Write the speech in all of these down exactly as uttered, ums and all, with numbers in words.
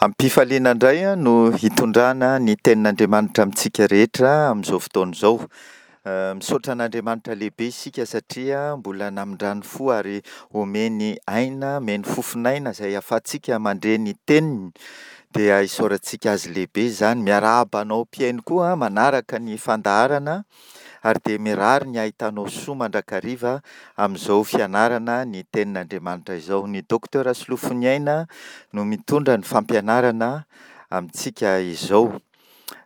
Am-pifaliana indray no hitondrana ny tenin'Andriamanitra amintsika rehetra amin'izao fotoana izao. Misaotra an'Andriamanitra lehibe isika satria mbola namindrany fo ary omeny aina, omeny fofon'aina izay ahafahantsika mandre ny teniny dia isaorantsika azy lehibe izany. Miarahaba anao mpihaino koa manaraka ny fandaharana ary dia mirary ny hahitanao soa mandrakariva amin'izao fianarana ny tenin'Andriamanitra izao. Ny Docteur Solofoniaina no mitondra ny fampianarana amintsika izao.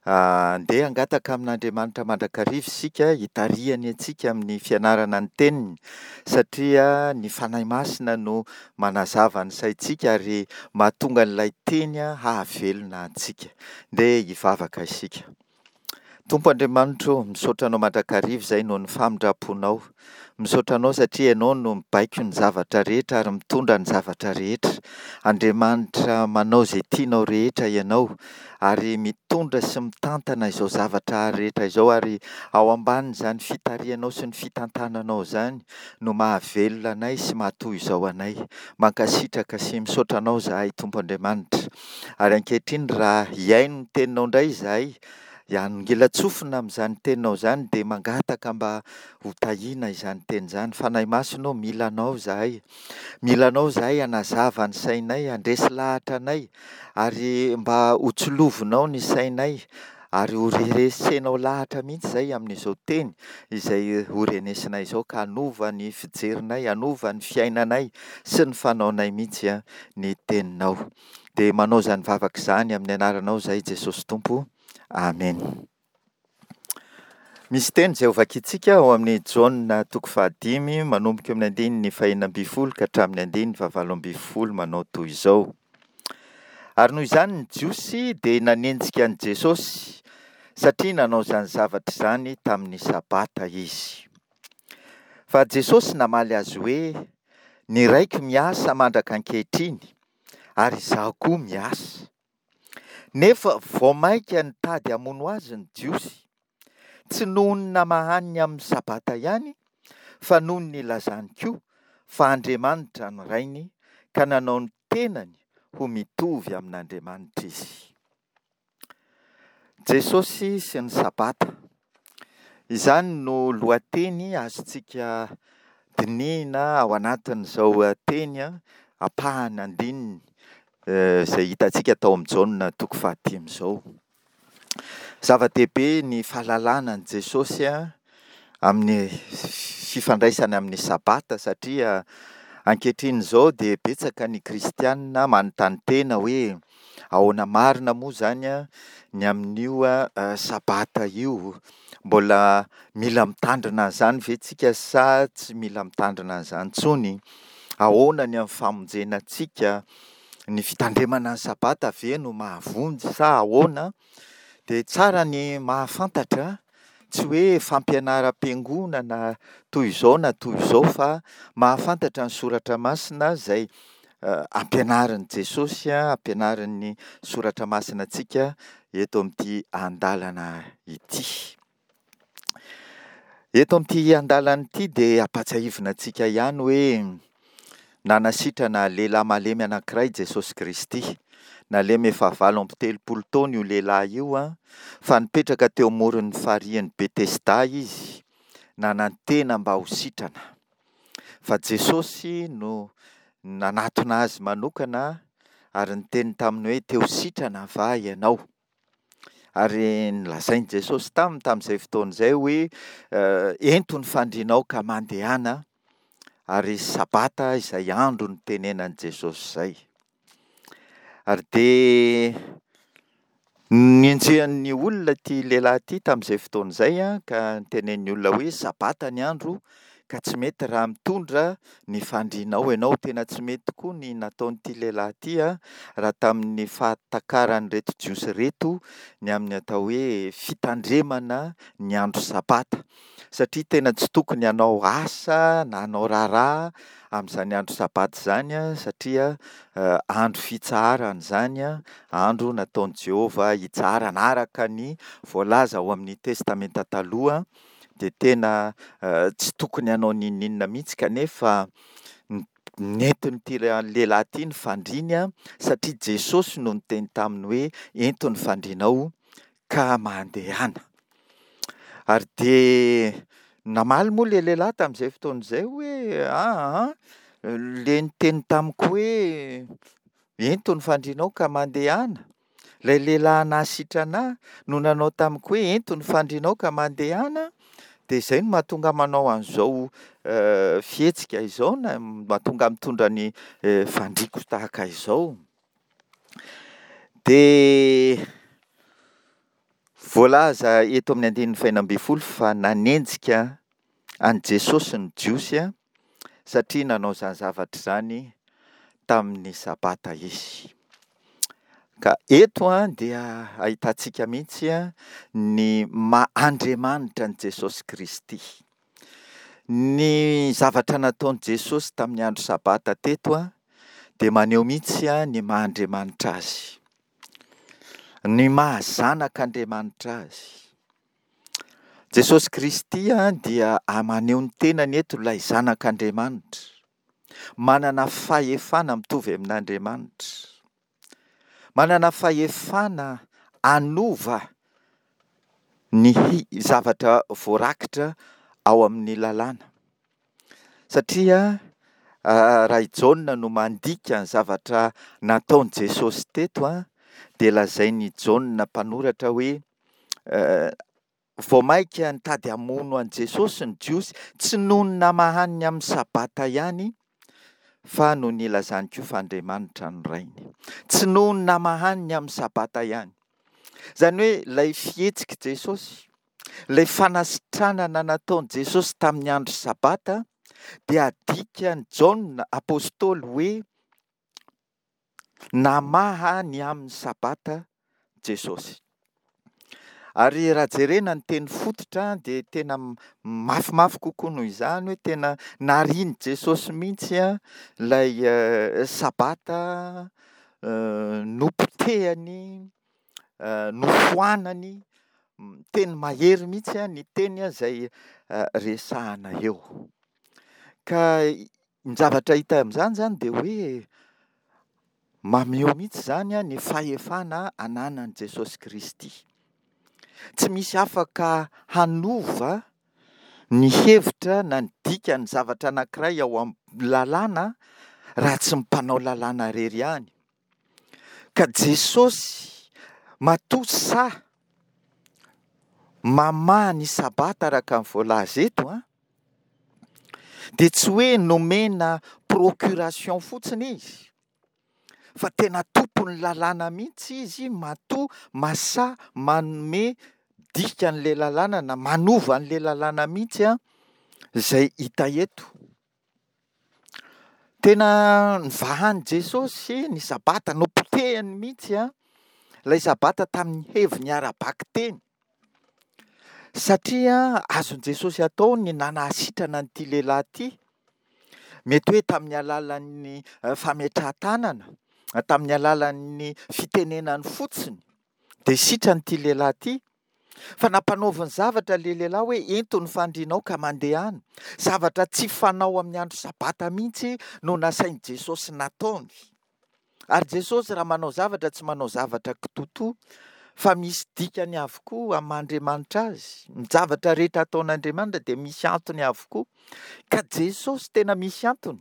Andeha hangataka amin'Andriamanitra mandrakariva isika hitarihany antsika amin'ny fianarana ny teniny satria ny Fanahy Masina no manazava ny saintsika ary mahatonga an'ilay teny hahavelona antsika. Ndeha hivavaka isika. Tompo Andriamanitra ô, misaotra Anao mandrakariva izay noho ny famindram-ponao. Misaotra Anao satria Ianao no mibaiko ny zavatra rehetra ary mitondra ny zavatra rehetra. Andriamanitra manao izay tianao rehetra Ianao ary mitondra sy mitantana izao zavatra rehetra izao ary ao ambanin'izany fitarihanao sy ny fitantananao izany no mahavelona anay sy mahatoy izao anay. Mankasitraka sy misaotra Anao izahay Tompo Andriamanitra. Ary ankehitriny raha hihaino ny teninao indray izahay, hanongilan-tsofina amin'izany teninao izany dia mangataka mba ho tahiana izany teny izany. Fanahy Masina ô, mila Anao izahay. Mila Anao izahay hanazava ny sainay, handresy lahatra anay ary mba ho tsilovinao ny sainay ary ho resenao lahatra mihitsy izay amin'izao teny izay ho renesinay izao ka hanova ny fijerinay, hanova ny fiainanay sy ny fanaonay mihitsy ny teninao. Dia manao izany vavaka izany amin'ny anaranao izahay Jesosy Tompo. Amen. Misy teny izay hovakintsika ao amin'ny Jaona toko fahadimy manomboka eo amin'ny andininy fahenina ambin'ny folo ka hatramin'ny andininy fahavalo ambin'ny folo manao toy izao. Ary noho izany ny Jiosy dia nanenjika an'i Jesosy satria nanao izany zavatra izany tamin'ny Sabata izy. Fa Jesosy namaly azy hoe, ny raiko miasa mandraka ankehitriny ary izaho koa miasa. Nefa vao mainka nitady hamono azy ny Jiosy, tsy noho ny namahany amin'ny Sabata ihany, fa noho ny nilazany koa fa Andriamanitra no Rainy ka nanao ny tenany ho mitovy amin'Andriamanitra izy. Jesosy sy ny Sabata. Izany no lohateny azontsika dinihina ao anatin'izao teny ampahany andininy izay hitantsika tao amin'ny Jaona toko fahadimy izao. Zava-dehibe ny fahalalana an'i Jesosy amin'ny fifandraisany amin'ny Sabata satria ankehitriny izao dia betsaka ny kristianina manontany tena hoe ahoana marina moa izany ny amin'io Sabata io? Mbola mila mitandrina an'izany ve tsika sa tsy mila mitandrina an'izany intsony? Ahoana ny amin'ny famonjena antsika? Ny fitandremana ny Sabata ve no mahavonjy sa ahoana? Dia tsara ny mahafantatra, tsy hoe fampianaram-piangonana toy izao na toy izao fa mahafantatra ny soratra masina izay ampianarin'i Jesosy, ampianarin'ny soratra masina antsika eto amin'ity andalana ity. Eto amin'ity andalana ity dia ampahatsiahivina antsika ihany hoe nanasitrana lehilahy malemy anankiray Jesosy Kristy. Nalemy efa valo amby telopolo taona io lehilahy io fa nipetraka teo amoron'ny farihin'i Betesda izy, nanantena mba ho sitrana. Fa Jesosy no nanatona azy manokana ary niteny taminy hoe te ho sitrana va ianao? Ary nolazain'i Jesosy taminy tamin'izay fotoana izay hoe ento ny fandrianao ka mandehana, ary Sabata izay andro nitenenan'i Jesosy izay. Ary dia nenjehan'ny olona ity lehilahy ity tamin'izay fotoana izay ka nitenenin'ny olona hoe Sabata ny andro ka tsy mety raha mitondra ny fandrianao ianao. Tena tsy mety tokoa ny nataon'ity lehilahy ity raha tamin'ny fahatakaran'ireto Jiosy ireto ny amin'ny atao hoe fitandremana ny andro Sabata. Satria tena tsy tokony hanao asa na hanao raharaha amin'izany andro Sabata izany satria andro fitsaharana izany, andro nataon'i Jehovah hitsaharana araka ny voalaza ao amin'ny Testamenta Taloha dia tena tsy tokony hanao n'inon'inona mihitsy kanefa Nentin'ity lehilahy ity ny fandriany satria Jesosy no niteny taminy hoe ento ny fandrianao ka mandehana. Ary dia namaly moa ilay lehilahy tamin'izay fotoana izay hoe aa ilay niteny tamiko hoe ento ny fandrianao ka mandehana, ilay lehilahy nahasitrana ahy no nanao tamiko hoe ento ny fandrianao ka mandehana, dia izay no mahatonga ahy manao an'izao fihetsika izao na mahatonga ahy mitondra ny fandriako tahaka izao. Dia voalaza eto amin'ny andininy fahenina ambin'ny folo fa nanenjika an'i Jesosy ny Jiosy satria nanao izany zavatra izany tamin'ny Sabata izy. Ka eto dia ahitantsika mihitsy ny maha Andriamanitra an'i Jesosy Kristy. Ny zavatra nataon'i Jesosy tamin'ny andro Sabata teto dia maneho mihitsy ny maha Andriamanitra azy. Ny maha zanak'Andriamanitra azy. Jesosy Kristy dia maneho ny tenany eto ilay zanak'Andriamanitra. Manana fahefana mitovy amin'Andriamanitra. Manana fahefana hanova ny zavatra voarakitra ao amin'ny lalàna. Satria raha i Jaona no mandika ny zavatra nataon'i Jesosy teto dia lazain'i Jaona mpanoratra hoe vao mainka nitady hamono an'i Jesosy ny Jiosy, tsy noho ny namahany ny amin'ny Sabata ihany fa noho ny nilazany koa fa Andriamanitra no Rainy. Tsy noho ny namahany ny amin'ny Sabata ihany. Izany hoe ilay fihetsik'i Jesosy, ilay fanasitranana nataon'i Jesosy tamin'ny andro Sabata dia adikan'i Jaona apostoly hoe namaha ny amin'ny Sabata Jesosy. Ary raha jerena ny teny fototra dia tena mafimafy kokoa noho izany hoe tena narian'i Jesosy mihitsy ilay Sabata, nopotehany, nofoanany, teny mahery mihitsy ny teny izay resahana eo. Ka ny zavatra hita amin'izany izany dia hoe maneho mihitsy izany ny fahefana ananan'i Jesosy Kristy. Tsy misy afaka hanova ny hevitra na ny dikan'ny zavatra anankiray ao amin'ny lalàna raha tsy ny mpanao lalàna irery ihany. Ka Jesosy matoa sahy mamaha ny Sabata araka ny voalaza eto an, dia tsy hoe nomena procuration fotsiny izy, fa tena tompon'ny lalàna mihitsy izy matoa masahy manome dikan'ilay lalàna na manova an'ilay lalàna mihitsy an, izay hita eto. Tena nivahan'i Jesosy ny Sabata, nopotehiny mihitsy an, ilay Sabata tamin'ny heviny ara-bakiteny. Satria azon'i Jesosy atao ny nanasitrana an'ity lehilahy ity, mety hoe tamin'ny alalan'ny fametrahan-tanana, tamin'ny alalan'ny fitenenany fotsiny, dia sitrana ity lehilahy ity. Fa nampanaoviny zavatra ilay lehilahy hoe ento ny fandrianao ka mandehana. Zavatra tsy fanao amin'ny andro Sabata mihitsy no nasain'i Jesosy nataony. Ary Jesosy raha manao zavatra tsy manao zavatra kitotoa fa misy dikany avokoa amin'ny maha Andriamanitra azy. Ny zavatra rehetra ataon'Andriamanitra dia misy antony avokoa. Ka Jesosy tena misy antony.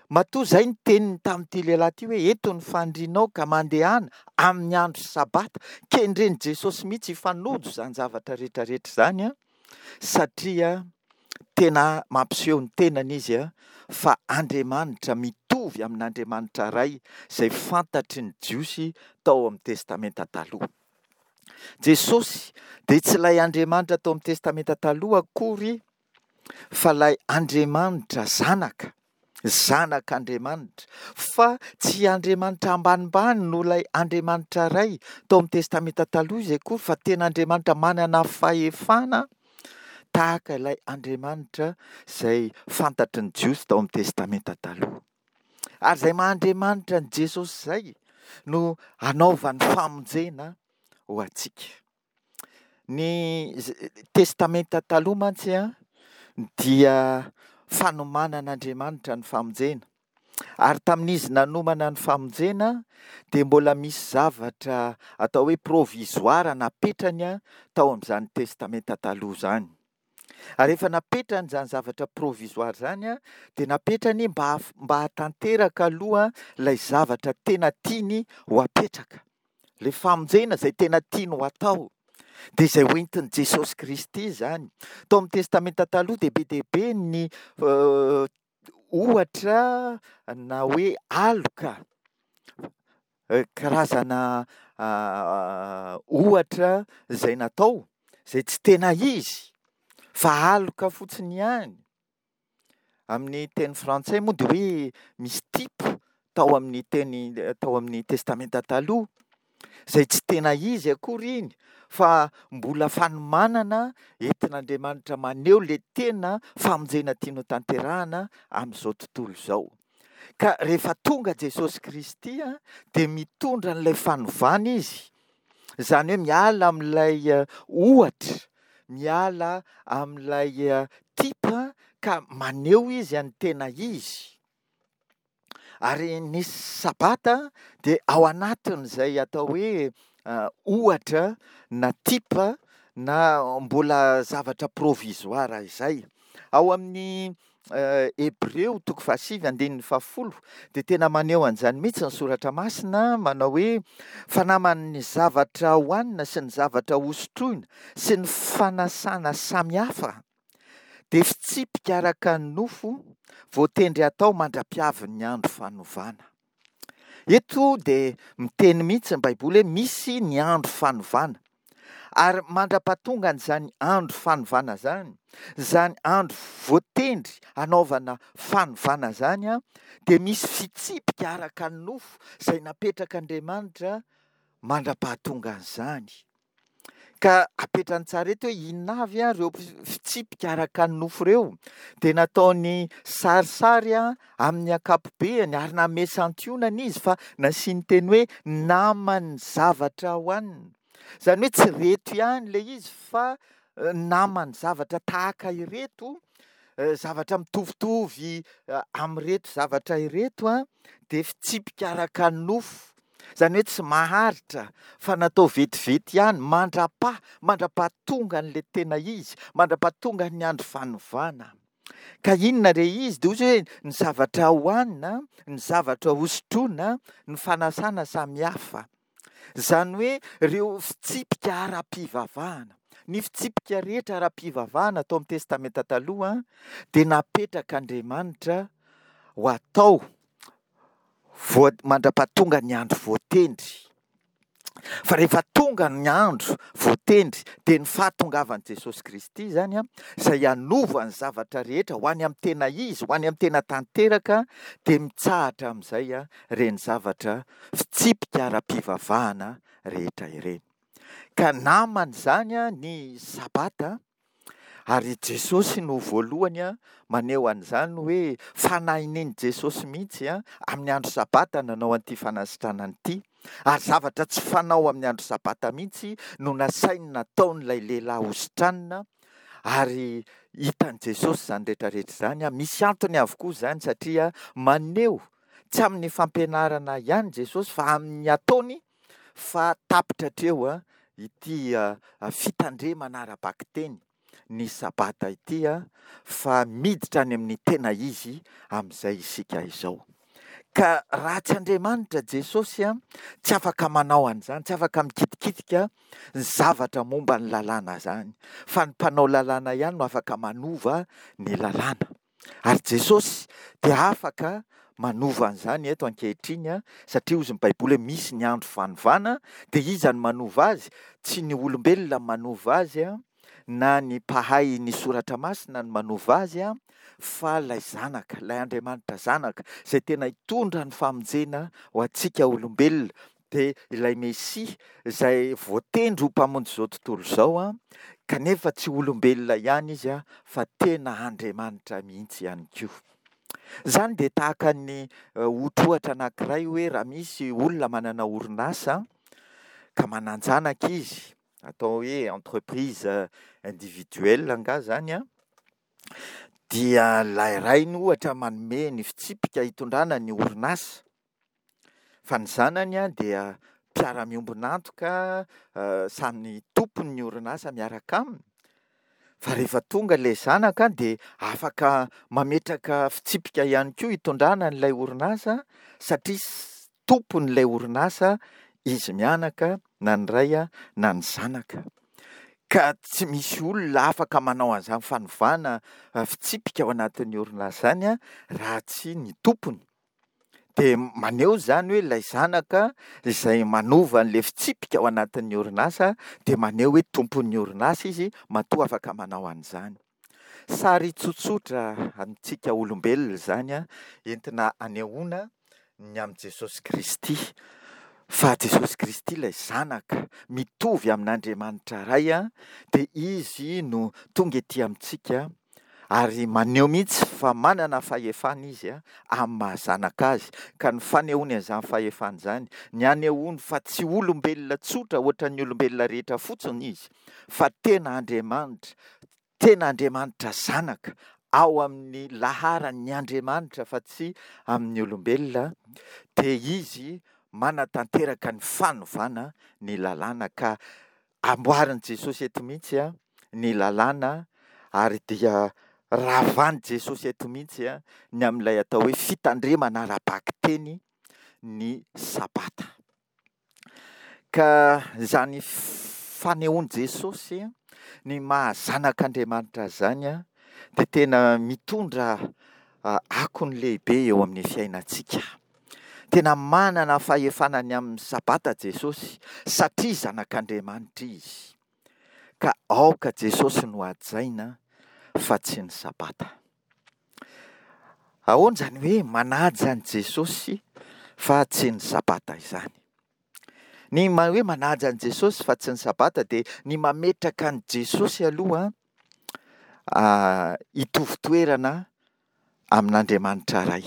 Matoa izay ny teniny tamin'ity lehilahy ity hoe ento ny fandrianao ka mandehana amin'ny andro Sabata. Kendren'i Jesosy mihitsy hifanojo izany zavatra rehetra rehetra izany satria tena mampiseho ny tenany izy fa Andriamanitra mitovy amin'Andriamanitra Ray izay fantatry ny Jiosy tao amin'ny Testamenta Taloha. Jesosy dia tsy ilay Andriamanitra tao amin'ny Testamenta Taloha akory fa ilay Andriamanitra Zanaka, Zanak'Andriamanitra, fa tsy Andriamanitra ambanimbany noho ilay Andriamanitra Ray tao amin'ny Testamenta Taloha izy akory fa tena Andriamanitra manana fahefana tahaka ilay Andriamanitra izay fantatry ny Jiosy tao amin'ny Testamenta Taloha. Ary izay maha Andriamanitra an'i Jesosy izay no hanaovany famonjena ho antsika. Ny Testamenta Taloha mantsy dia fanomanan'Andriamanitra ny famonjena. Ary tamin'izy nanomana ny famonjena dia mbola misy zavatra atao hoe provisoire napetrany tao amin'izany Testamenta Taloha izany. Ary rehefa napetrany izany zavatra provisoire izany dia napetrany mba mba hahatanteraka aloha ilay zavatra tena tiany ho apetraka. Ilay famonjena izay tena tiany ho atao. Dia izay hoentin'i Jesosy Kristy izany. Tao amin'ny Testamenta Taloha dia be dia be ny ohatra na hoe aloka, karazana ohatra izay natao, izay tsy tena izy fa aloka fotsiny ihany. Amin'ny teny frantsay moa dia hoe misy type tao amin'ny teny tao amin'ny Testamenta Taloha, izay tsy tena izy akory iny fa mbola fanomanana entin'Andriamanitra maneho ilay tena famonjena tiany hotanterahana amin'izao tontolo izao. Ka rehefa tonga Jesosy Kristy dia mitondra an'ilay fanovana izy, izany hoe miala amin'ilay ohatra, miala amin'ilay type ka maneho izy an'ny tena izy. Ary ny Sabata dia ao anatin'izay atao hoe ohatra na type na mbola zavatra provisoire izay. Ao amin'ny Hebreo toko fahasivy andininy fahafolo dia tena maneho an'izany mihitsy ny soratra masina manao hoe fa naman'ny zavatra hohanina sy ny zavatra hosotroina sy ny fanasana samihafa dia fitsipika araka ny nofo voatendry atao mandra-piavin'ny andro fanovana. Eto dia miteny mihitsy ny Baiboly hoe misy ny andro fanovana. Ary mandra-pahatonga an'izany andro fanovana izany, izany andro voatendry hanaovana fanovana izany, dia misy fitsipika araka ny nofo izay napetrak'Andriamanitra mandra-pahatonga an'izany. Ka apetrany tsara eto hoe inona avy ireo fitsipika araka ny nofo ireo. Dia nataony sarisary amin'ny ankapobeany ary nanome santionany izy fa nasiany teny hoe naman'ny zavatra hohanina. Izany hoe tsy ireto ihany ilay izy fa naman'ny zavatra tahaka ireto, zavatra mitovitovy amin'ireto zavatra ireto dia fitsipika araka ny nofo. Izany hoe tsy maharitra fa natao vetivety ihany mandra-paha, mandra-pahatonga an'ilay tena izy, mandra-pahatonga ny andro fanovana. Ka inona re izy? Dia hoy izy hoe ny zavatra hohanina, ny zavatra hosotroina, ny fanasana samihafa. Izany hoe ireo fitsipika ara-pivavahana. Ny fitsipika rehetra ara-pivavahana tao amin'ny Testamenta Taloha dia napetrak'Andriamanitra ho atao voa-, mandra-pahatonga ny andro voatendry. Fa rehefa tonga ny andro voatendry dia ny fahatongavan'i Jesosy Kristy izany, izay hanova ny zavatra rehetra ho any amin'ny tena izy, ho any amin'ny tena tanteraka, dia mitsahatra amin'izay ireny zavatra fitsipika ara-pivavahana rehetra ireny. Ka namana izany ny Sabata, ary Jesosy no voalohany maneho an'izany hoe fanahinin'i Jesosy mihitsy amin'ny andro Sabata nanao an'ity fanasitranana ity, ary zavatra tsy fanao amin'ny andro Sabata mihitsy no nasainy nataon'ilay lehilahy hositranina, ary hitan'i Jesosy izany rehetrarehetra izany. Misy antony avokoa izany satria maneho tsy amin'ny fampianarana ihany Jesosy fa amin'ny ataony fa tapitra hatreo ity fitandremana ara-bakiteny ny Sabata ity, fa miditra any amin'ny tena izy amin'izay isika izao. Ka raha tsy Andriamanitra Jesosy tsy afaka manao an'izany, tsy afaka mikitikitika ny zavatra momba ny lalàna izany, fa ny mpanao lalàna ihany no afaka manova ny lalàna. Ary Jesosy dia afaka manova an'izany eto ankehitriny, satria hozy ny Baiboly hoe misy ny andro fanovana, dia iza no manova azy? Tsy ny olombelona manova azy, na ny mpahay ny soratra masina no manova azy, fa ilay zanaka, ilay Andriamanitra zanaka, izay tena hitondra ny famonjena ho antsika olombelona, dia ilay Mesia izay voatendry ho mpamonjy izao tontolo izao, kanefa tsy olombelona ihany izy, fa tena Andriamanitra mihitsy ihany koa. Izany dia tahaka ny ohatrohatra anankiray hoe raha misy olona manana orinasa ka manan-janaka izy, atao hoe entreprise individuelle angaha izany, dia ilay rainy ohatra manome ny fitsipika hitondrana ny orinasa, fa ny zanany dia mpiara-miombon'antoka, samy tompon'ny orinasa miaraka aminy, fa rehefa tonga ilay zanaka dia afaka mametraka fitsipika ihany koa hitondrana an'ilay orinasa satria tompon'ilay orinasa izy mianaka, na ny ray na ny zanaka. Ka tsy misy olona afaka manao an'izany fanovana fitsipika ao anatin'ny orinasa izany raha tsy ny tompony. Dia maneho izany hoe ilay zanaka izay manova an'ilay fitsipika ao anatin'ny orinasa dia maneho hoe tompon'ny orinasa izy matoa afaka manao an'izany. Sary tsotsotra amintsika olombelona izany entina anehoana ny amin'i Jesosy Kristy. Fa Jesosy Kristy ilay Zanaka mitovy amin'Andriamanitra Ray dia Izy no tonga ety amintsika ary maneho mihitsy fa manana fahefana Izy amin'ny maha Zanaka Azy. Ka ny fanehoany an'izany fahefana izany, ny anehoany fa tsy olombelona tsotra ohatran'ny olombelona rehetra fotsiny Izy, fa tena Andriamanitra, tena Andriamanitra Zanaka, ao amin'ny laharan'ny Andriamanitra fa tsy amin'ny olombelona, dia Izy manatanteraka ny fanovana ny lalàna. Ka amboarin'i Jesosy eto mihitsy ny lalàna, ary dia ravan'i Jesosy eto mihitsy ny amin'ilay atao hoe fitandremana ara-bakiteny ny Sabata. Ka izany fanehoan'i Jesosy ny maha zanak'Andriamanitra azy izany dia tena mitondra akony lehibe eo amin'ny fiainantsika. Tena manana fahefana ny amin'ny Sabata Jesosy satria zanak'Andriamanitra Izy. Ka aoka Jesosy no hajaina fa tsy ny Sabata. Ahoana izany hoe manaja an'i Jesosy fa tsy ny Sabata izany? Ny hoe manaja an'i Jesosy fa tsy ny Sabata dia ny mametraka an'i Jesosy aloha hitovy toerana amin'Andriamanitra Ray.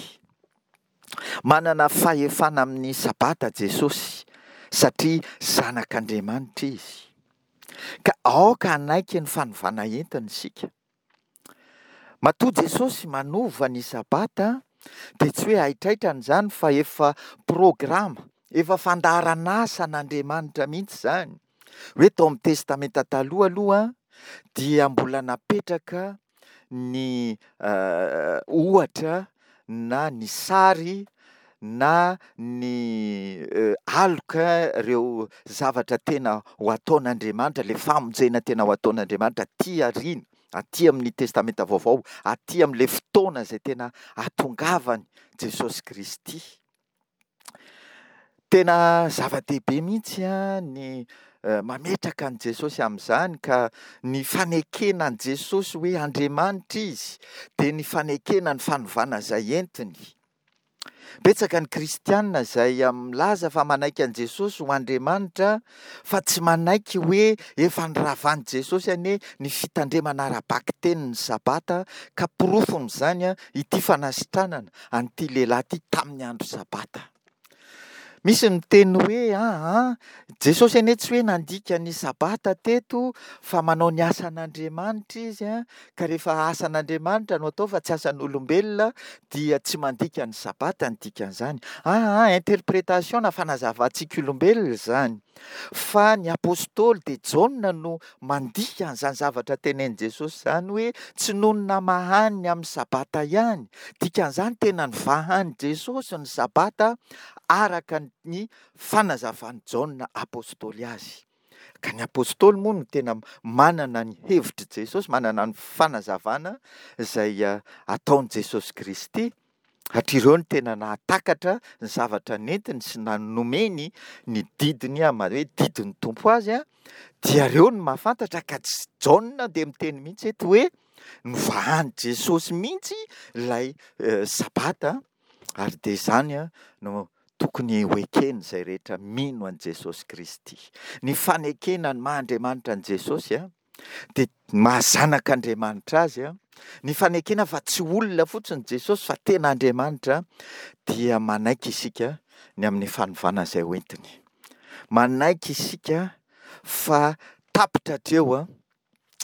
Manana fahefana amin'ny Sabata Jesosy satria zanak'Andriamanitra Izy. Ka aoka hanaiky ny fanovana entiny isika. Matoa Jesosy manova ny Sabata dia tsy hoe haitraitrany izany fa efa programa, efa fandaharan'asan'Andriamanitra mihitsy izany. Hoe tao amin'ny Testamenta Taloha aloha dia mbola napetraka ny ohatra na ny sary na ny aloka ireo zavatra tena ho ataon'Andriamanitra, ilay famonjena tena ho ataon'Andriamanitra aty aoriana, aty amin'ny Testamenta Vaovao, aty amin'ilay fotoana izay tena hahatongavany Jesosy Kristy. Tena zava-dehibe mihitsy ny mametraka an'i Jesosy amin'izany, ka ny fanekena an'i Jesosy hoe Andriamanitra Izy dia ny fanekena ny fanovana izay entiny. Betsaka ny kristianina izay milaza fa manaiky an'i Jesosy ho Andriamanitra fa tsy manaiky hoe efa niravan'i Jesosy anie ny fitandremana ara-bakiteny ny Sabata, ka porofon'izany ity fanasitranana an'ity lehilahy ity tamin'ny andro Sabata. Misy ny miteny hoe aa, Jesosy anie tsy hoe nandika ny Sabata teto fa manao ny asan'Andriamanitra izy, ka rehefa asan'Andriamanitra no atao fa tsy asan'olombelona dia tsy mandika ny Sabata ny dikan'izany. Aa, interprétation na fanazavantsika olombelona izany. Fa ny apostoly dia Jaona no mandika an'izany zavatra tenenin'i Jesosy izany hoe tsy noho ny namahany ny amin'ny Sabata ihany. Dikan'izany tena nivahan'i Jesosy ny Sabata araka ny fanazavan'i Jaona apostoly azy. Ka ny apostoly moa no tena manana ny hevitr'i Jesosy, manana ny fanazavana izay ataon'i Jesosy Kristy. Hatry ireo no tena nahatakatra ny zavatra nentiny sy nanomeny ny didiny ama hoe didin'ny Tompo azy, dia ireo no mahafantatra. Ka tsy Jaona dia miteny mihitsy eto hoe novahan'i Jesosy mihitsy ilay Sabata, ary dia izany no tokony ho ekeny izay rehetra mino an'i Jesosy Kristy. Ny fanekena ny maha Andriamanitra an'i Jesosy dia maha zanak'Andriamanitra azy, ny fanekena fa tsy olona fotsiny Jesosy fa tena Andriamanitra, dia manaiky isika ny amin'ny fanovana izay hoentiny. Manaiky isika fa tapitra hatreo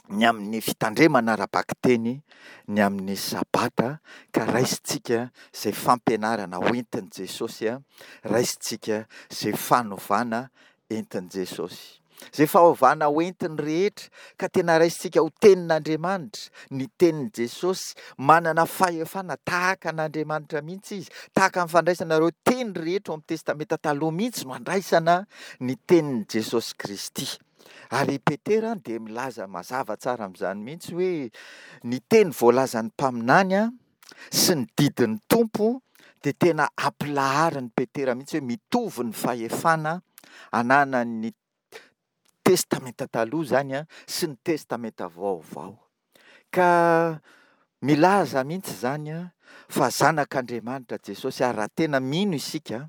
ny amin'ny fitandremana ara-bakiteny ny amin'ny Sabata, ka raisintsika izay fampianarana hoentin'i Jesosy, raisintsika izay fanovana entin'i Jesosy. Izay fahovana hoentiny rehetra, ka tena raisintsika ho tenin'Andriamanitra, ny tenin'i Jesosy, manana fahefana tahaka an'Andriamanitra mihitsy izy, tahaka ny fandraisana ireo teny rehetra ao amin'ny Testamenta Taloha mihitsy no andraisana ny tenin'i Jesosy Kristy. Ary i Petera dia milaza mazava tsara amin'izany mihitsy hoe ny teny voalazan'ny mpaminany sy ny didin'ny Tompo dia tena ampilaharin'i Petera mihitsy hoe mitovy ny fahefana ananan'ny Testamenta Taloha izany sy ny Testamenta Vaovao. Ka milaza mihitsy izany fa zanak'Andriamanitra Jesosy, ary raha tena mino isika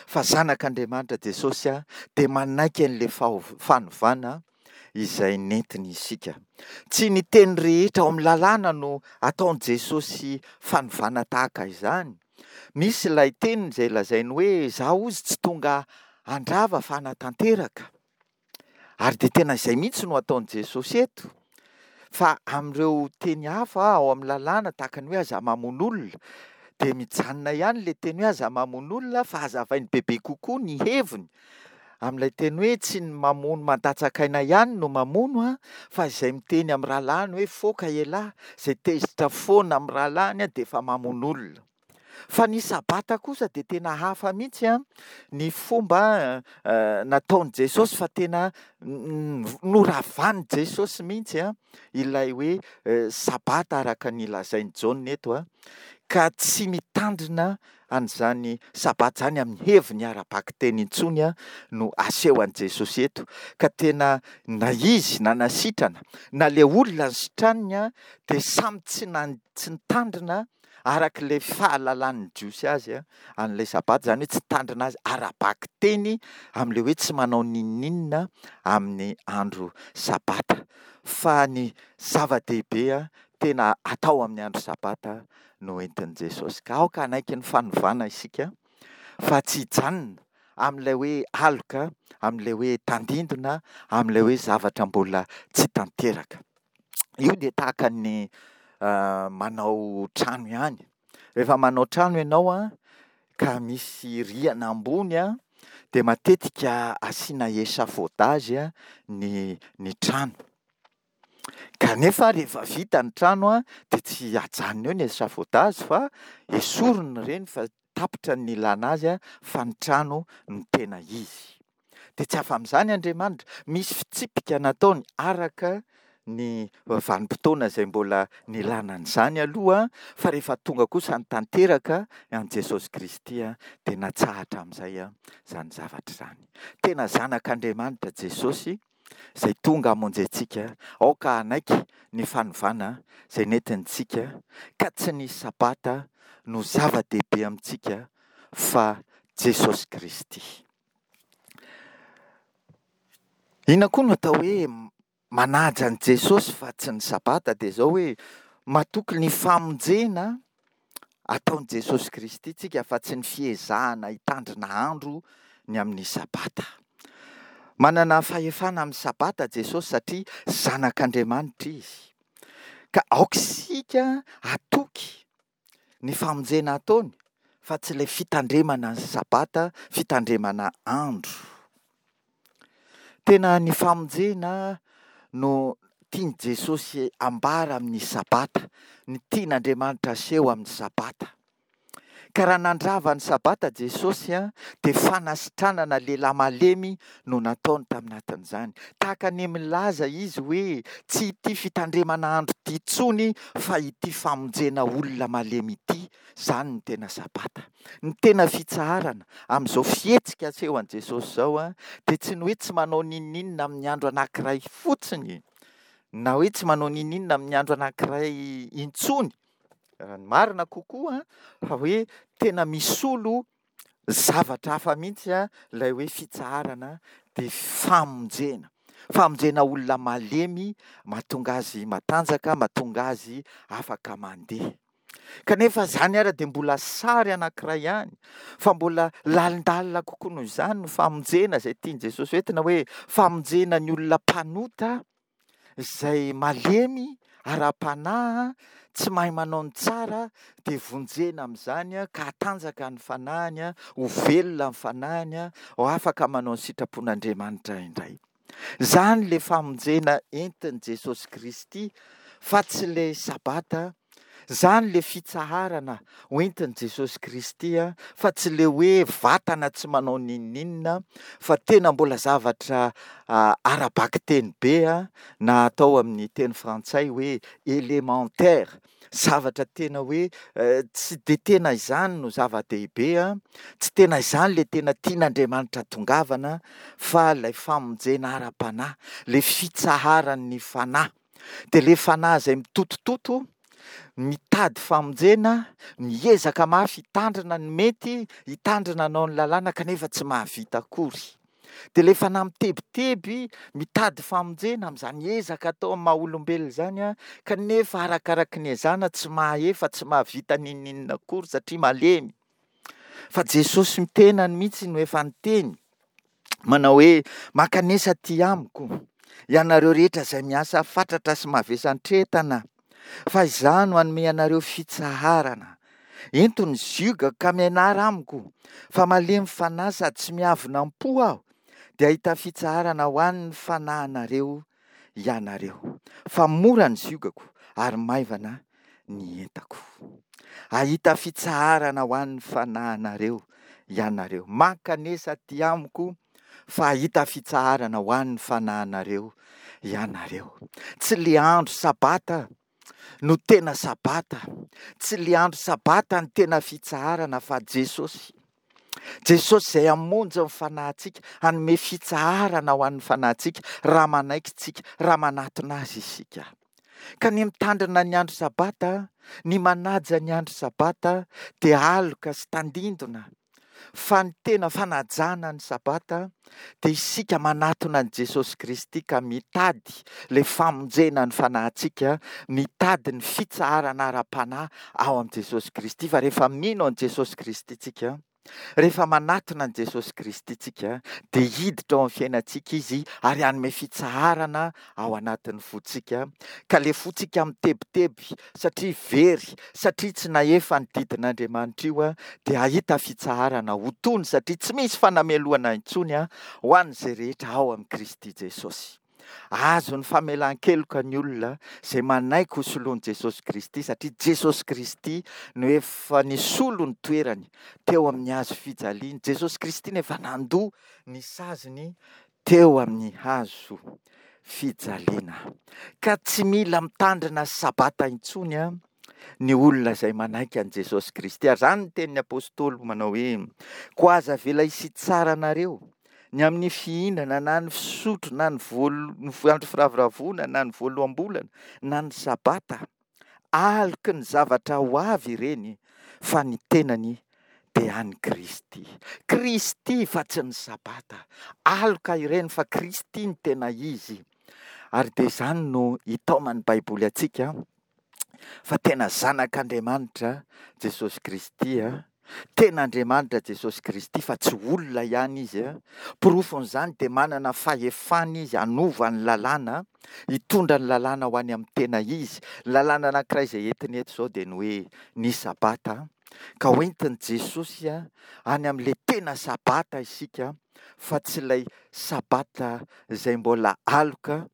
fa zanak'Andriamanitra Jesosy dia manaiky an'ilay fanovana izay nentiny isika. Tsy ny teny rehetra ao amin'ny lalàna no ataon'i Jesosy fanovana tahaka izany. Misy ilay teny izay lazainy hoe izaho hozy tsy tonga handrava fa hanatanteraka. Ary dia tena izay mihitsy no ataon'i Jesosy eto. Fa amin'ireo teny hafa ao amin'ny lalàna tahaka ny hoe aza mamono olona, dia mijanona ihany ilay teny hoe aza mamono olona fa hazavainy bebe kokoa ny heviny. Amin'ilay teny hoe tsy ny mamono mandatsaka aina ihany no mamono, fa izay miteny amin'ny rahalahiny hoe foka ialahy, izay tezitra foana amin'ny rahalahiny dia efa mamono olona. Fa ny Sabata kosa dia tena hafa mihitsy ny fomba nataon'i Jesosy, fa tena noravan'i Jesosy mihitsy ilay hoe Sabata araka ny lazain'i Jaona eto, ka tsy mitandrina an'izany Sabata izany amin'ny heviny ara-bakiteny intsony no aseho an'i Jesosy eto, ka tena na izy na nasitrana na ilay olona nisitraniny dia samy tsy nan-, tsy nitandrina araka ilay fahalalan'ny Jiosy azy an'ilay Sabata, izany hoe tsy tandrina azy ara-bakiteny amin'ilay hoe tsy manao n'inon'inona amin'ny andro Sabata. Fa ny zava-dehibe tena atao amin'ny andro Sabata no entin'i Jesosy. Ka aoka hanaiky ny fanovana isika fa tsy hijanona amin'ilay hoe aloka, amin'ilay hoe tandindona, amin'ilay hoe zavatra mbola tsy tanteraka. Io dia tahaka ny manao trano ihany. Rehefa manao trano ianao a, ka misy rihana ambony a, dia matetika asiana échafaudage a, ny, ny trano. Kanefa rehefa vita ny trano a, dia tsy ajanona eo ny échafaudage fa esorina ireny fa tapitra ny nilana azy a, fa ny trano no tena izy. Dia tsy afa amin'izany Andriamanitra. Misy fitsipika nataony araka ny vanim-potoana izay mbola nilana an'izany aloha, fa rehefa tonga kosa ny tanteraka an'i Jesosy Kristy dia natsahatra amin'izay izany zavatra izany. Tena zanak'Andriamanitra Jesosy izay tonga hamonjy antsika. Aoka hanaiky ny fanovana izay nentintsika, ka tsy ny Sabata no zava-dehibe amintsika fa Jesosy Kristy. Inona koa no atao hoe manaja an'i Jesosy fa tsy ny Sabata? Dia izao hoe matoky ny famonjena ataon'i Jesosy Kristy tsika fa tsy ny fiezahana hitandrina andro ny amin'ny Sabata. Manana fahefana amin'ny Sabata Jesosy satria zanak'Andriamanitra izy. Ka aoka isika hatoky ny famonjena ataony fa tsy ilay fitandremana ny Sabata, fitandremana andro. Tena ny famonjena no tian'i Jesosy ambara amin'ny Sabata, ny tian'Andriamanitra aseho amin'ny Sabata. Ka raha nandrava ny Sabata Jesosy a, dia fanasitranana lehilahy malemy no nataony taminatin'izany. Tahaka ny milaza izy hoe tsy ity fitandremana andro ity intsony fa ity famonjena olona malemy ity, izany no tena Sabata. Ny tena fitsaharana amin'izao fihetsika aseho an'i Jesosy izao a, dia tsy ny hoe tsy manao n'inon'inona amin'ny andro anankiray fotsiny, na hoe tsy manao n'inon'inona amin'ny andro anankiray intsony, raha ny marina kokoa, fa hoe tena misolo zavatra hafa mihitsy a, ilay hoe fitsaharana dia famonjena. Famonjena olona malemy, mahatonga azy matanjaka, mahatonga azy afaka mandeha. Kanefa izany ara dia mbola sary anankiray ihany, fa mbola lalindalina kokoa noho izany ny famonjena izay tian'i Jesosy hoentina, hoe famonjena ny olona mpanota izay malemy ara-panahy, tsy mahay manao ny tsara, dia vonjena amin'izany ka hatanjaka ny fanahiny, ho velona ny fanahiny, ho afaka manao ny sitrapon'Andriamanitra indray. Izany ilay famonjena entin'i Jesosy Kristy fa tsy ilay Sabata. Izany ilay fitsaharana hoentin'i Jesosy Kristy fa tsy ilay hoe vatana tsy manao n'inon'inona fa tena mbola zavatra ara-bakiteny be na atao amin'ny teny frantsay hoe élémentaire, zavatra tena hoe tsy dia tena izany no zava-dehibe, tsy tena izany ilay tena tian'Andriamanitra tongavana fa ilay famonjena ara-panahy, ilay fitsaharan'ny fanahy. Dia ilay fanahy izay mitotototo, mitady famonjena, miezaka mafy hitandrina ny mety, hitandrina hanao ny lalàna kanefa tsy mahavita akory. Dia ilay fanahy mitebiteby, mitady famonjena amin'izany ezaka atao amin'ny maha olombelona izany, kanefa arakaraky ny ezahana tsy mahaefa, tsy mahavita n'inon'inona akory satria malemy. Fa Jesosy tenany mihitsy no efa niteny manao hoe, mankanesa aty amiko ianareo rehetra izay miasa fatratra sy mavesantretana, fa izaho no hanome anareo fitsaharana. Ento ny ziogako ka mianara amiko, fa malemy fanahy sady tsy miavona am-po aho, dia hahita fitsaharana ho an'ny fanahinareo ianareo. Fa mora ny ziogako ary maivana ny entako. Hahita fitsaharana ho an'ny fanahinareo ianareo. Mankanesa aty amiko fa hahita fitsaharana ho an'ny fanahinareo ianareo. Tsy le andro sabata no tena sabata, tsy le andro sabata no tena fitsaharana fa Jesosy. Jesosy izay hamonjy ny fanahintsika, hanome fitsaharana ho an'ny fanahintsika raha manaiky tsika, raha manatona azy isika. Ka ny mitandrina ny andro sabata, ny manaja ny andro sabata dia aloka sy tandindona. Fa ny tena fanajana ny sabata dia isika manatona an'i Jesosy Kristy ka mitady ilay famonjena ny fanahintsika, mitady ny fitsaharana ara-panahy ao amin'i Jesosy Kristy. Fa rehefa mino an'i Jesosy Kristy tsika, rehefa manatona an'i Jesosy Kristy tsika, dia hiditra ao amin'ny fiainantsika Izy ary hanome fitsaharana ao anatin'ny fontsika. Ka ilay fontsika mitebiteby satria very, satria tsy nahefa ny didin'Andriamanitra io, dia hahita fitsaharana ho tony satria tsy misy fanamelohana intsony ho an'izay rehetra ao amin'i Kristy Jesosy. Azo ny famelan-keloka ny olona izay manaiky ho soloan'i Jesosy Kristy satria Jesosy Kristy no efa nisolo ny toerany teo amin'ny hazo fijaliana. Jesosy Kristy no efa nandoa ny saziny teo amin'ny hazo fijaliana. Ka tsy mila mitandrina sabata intsony ny olona izay manaiky an'i Jesosy Kristy. Ary izany ny tenin'ny apostoly manao hoe, koa aza avela hisy hitsara anareo ny amin'ny fihinana na ny fisotro na ny voal-, ny andro firavoravoana na ny voaloham-bolana na ny sabata. Aloky ny zavatra ho avy ireny fa ny tenany dia an'i Kristy. Kristy fa tsy ny sabata. Aloka ireny fa Kristy ny tena izy. Ary dia izany no itaoman'ny Baiboly antsika fa tena zanak'Andriamanitra Jesosy Kristy. Tena Andriamanitra Jesosy Kristy fa tsy olona ihany izy. Porofon'izany dia manana fahefana izy hanova ny lalàna, hitondra ny lalàna ho any amin'ny tena izy. Ny lalàna anankiray izay entiny eto izao dia ny hoe ny sabata, ka hoentin'i Jesosy any amin'ilay tena sabata isika fa tsy ilay sabata izay mbola aloka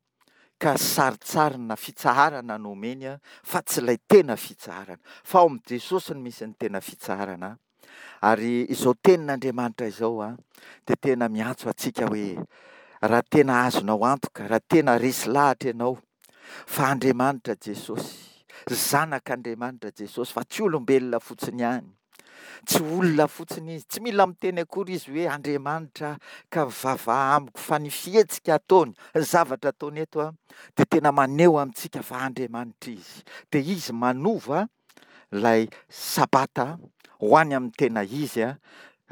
ka sarintsarina fitsaharana no omeny fa tsy ilay tena fitsaharana. Fa ao amin'i Jesosy no misy ny tena fitsaharana. Ary izao tenin'Andriamanitra izao a, dia tena miantso antsika hoe raha tena azonao antoka, raha tena resy lahatra ianao fa Andriamanitra Jesosy, Zanak'Andriamanitra Jesosy, fa tsy olombelona fotsiny ihany. Tsy olona fotsiny izy, tsy mila miteny akory izy hoe Andriamanitra ka mivavaha amiko, fa ny fihetsika ataony, ny zavatra ataony eto a, dia tena maneho amintsika fa Andriamanitra izy. Dia izy manova ilay sabata ho any amin'ny tena izy a.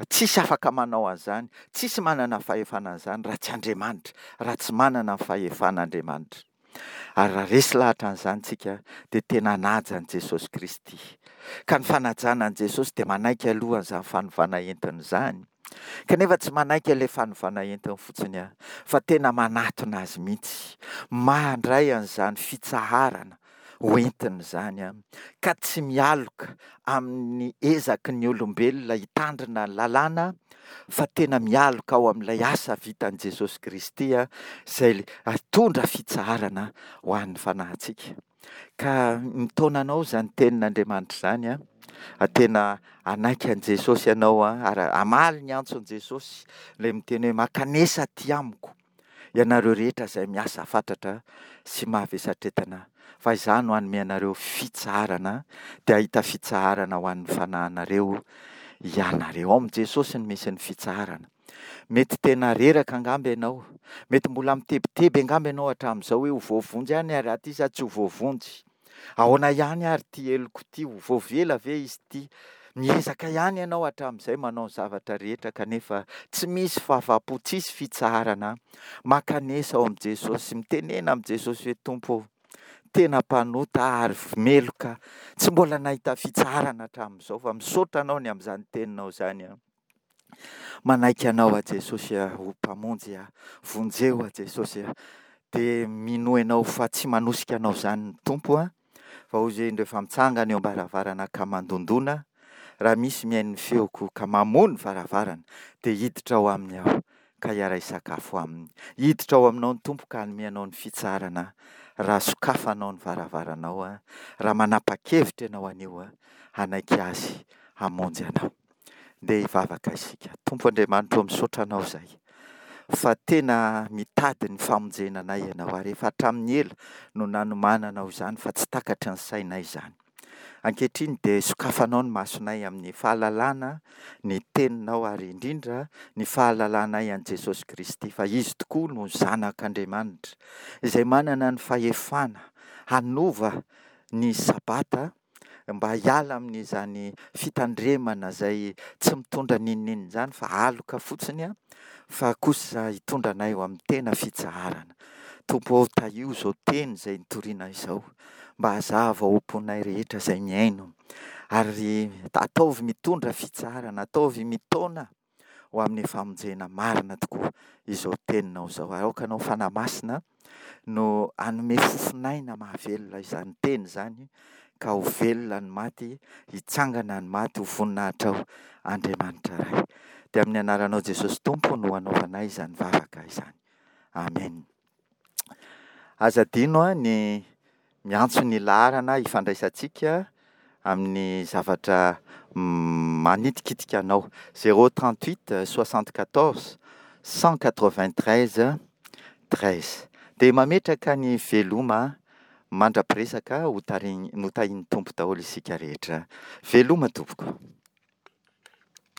Tsisy afaka manao an'izany, tsisy manana fahefana an'izany raha tsy Andriamanitra, raha tsy manana ny fahefana Andriamanitra. Ary raha resy lahatra an'izany tsika dia tena hanaja an'i Jesosy Kristy. Ka ny fanajana an'i Jesosy dia manaiky aloha an'izany fanovana entiny izany. Kanefa tsy manaiky an'ilay fanovana entiny fotsiny aho, fa tena manatona Azy mihitsy, mandray an'izany fitsaharana ho entiny izany aho, ka tsy mialoka amin'ny ezaky ny olombelona hitandrina ny lalàna, fa tena mialoka ao amin'ilay asa vitan'i Jesosy Kristy izay hitondra fitsaharana ho an'ny fanahintsika. Ka mitaona anao izany tenin'Andriamanitra izany an, tena hanaiky an'i Jesosy ianao an, ary hamaly ny antson'i Jesosy ilay miteny hoe mankanesa aty amiko ianareo rehetra izay miasa fatratra sy mahavesatretana, fa izaho no hanome anareo fitsaharana, dia hahita fitsaharana ho an'ny fanahinareo ianareo. Ao amin'i Jesosy no misy ny fitsaharana. Mety tena reraka angamba ianao, mety mbola mitebiteby angamba ianao hatramin'izao hoe ho voavonjy ihany ary aty sa tsy ho voavonjy. Ahoana ihany ary ity heloko ity, ho voavela ve izy ity? Miezaka ihany ianao hatramin'izay manao ny zavatra rehetra kanefa tsy misy fahafaham-po, tsisy fitsaharana. Mankanesa ao amin'i Jesosy, mitenena amin'i Jesosy hoe Tompo ô, tena mpanota aho ary meloka, tsy mbola nahita fitsaharana hatramin'izao fa misaotra anao ny amin'izany teninao izany aho. Manaiky anao aho Jesosy a, ho Mpamonjy aho, vonjeo aho Jesosy a. Dia minoa ianao fa tsy manosika anao izany ny Tompo a, fa hoy izy hoe indreo fa mitsangana eo am-baravarana ka mandondona, raha misy mihaino ny feoko ka mamoha ny varavarana dia hiditra ao aminy aho ka hiara-hisakafo aminy. Hiditra ao aminao ny Tompo ka hanome anao ny fitsaharana raha sokafanao ny varavaranao a, raha manapa-kevitra ianao anio a, hanaiky Azy hamonjy anao. Ndeha hivavaka isika. Tompo Andriamanitra ô, misaotra Anao izahay fa tena mitady ny famonjena anay Ianao ary efa hatramin'ny ela no nanomananao izany fa tsy takatry ny sainay izany. Ankehitriny dia sokafanao ny masonay amin'ny fahalalana ny Teninao ary indrindra ny fahalalanay an'i Jesosy Kristy fa Izy tokoa no Zanak'Andriamanitra izay manana ny fahefana hanova ny Sabata mba hiala amin'izany fitandremana izay tsy mitondra n'inon'inona izany fa aloka fotsiny fa kosa hitondra anay ho amin'ny tena fitsaharana. Tompo ô, tahio izao teny izay nitoriana izao mba hazava ao am-ponay rehetra izay mihaino ary ataovy mitondra fitsaharana, ataovy mitaona ho amin'ny famonjena marina tokoa izao teninao izao. Ary aoka anao Fanahy Masina no hanome fofon'aina mahavelona izany teny izany ka ho velona ny maty, hitsangana ny maty ho voninahitrao Andriamanitra Ray. Dia amin'ny anaranao Jesosy Tompo no hanaovanay izany vavaka izany. Amen. Aza adino ny miantso ny laharana ifandraisantsika amin'ny zavatra manitikitika anao. Zéro trente huit soixante quatorze cent quatre vingt treize treize. Dia mametraka ny veloma mandra-piresaka ho tarihin- notahin'ny Tompo daholo isika rehetra. Veloma tompoko.